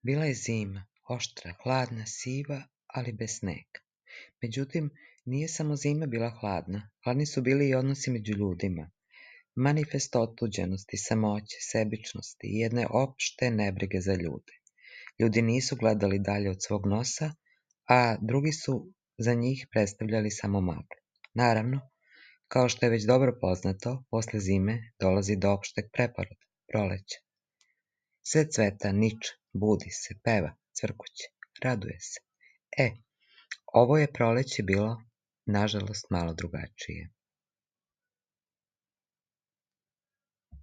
Bila je zima, oštra, hladna, siva, ali bez snega. Međutim, nije samo zima bila hladna, hladni su bili i odnosi među ljudima. Manifest otuđenosti, samoće, sebičnosti i jedne opšte nebrige za ljude. Ljudi nisu gledali dalje od svog nosa, a drugi su za njih predstavljali samo maglu. Naravno, kao što je već dobro poznato, posle zime dolazi do opšteg preporoda, proleća. Sve cveta, niče, budi se, peva, cvrkuće, raduje se. Ovo je proleće bilo, nažalost, malo drugačije.